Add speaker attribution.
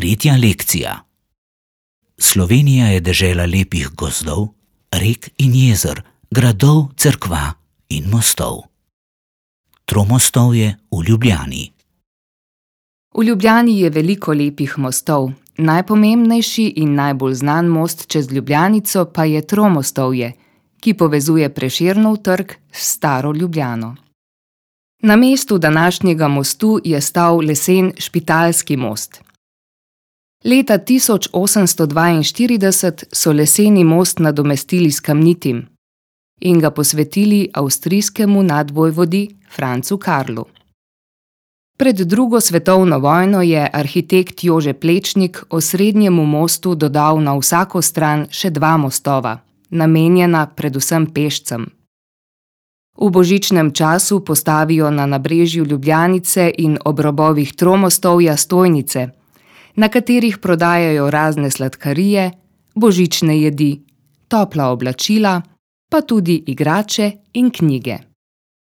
Speaker 1: Tretja lekcija. Slovenija je dežela lepih gozdov, rek in jezer, gradov, cerkva in mostov. Tromostovje v Ljubljani.
Speaker 2: V Ljubljani je veliko lepih mostov. Najpomembnejši in najbolj znan most čez Ljubljanico pa je Tromostovje, ki povezuje Prešernov trg s staro Ljubljano. Na mestu današnjega mostu je stal lesen Špitalski most. Leta 1842 so leseni most nadomestili s kamnitim in ga posvetili avstrijskemu nadvojvodi Francu Karlu. Pred drugo svetovno vojno je arhitekt Jože Plečnik osrednjemu mostu dodal na vsako stran še 2 mostova, namenjena predvsem pešcem. V božičnem času postavijo na nabrežju Ljubljanice in ob robovih Tromostovja stojnice, na katerih prodajajo razne sladkarije, božične jedi, topla oblačila, pa tudi igrače in knjige.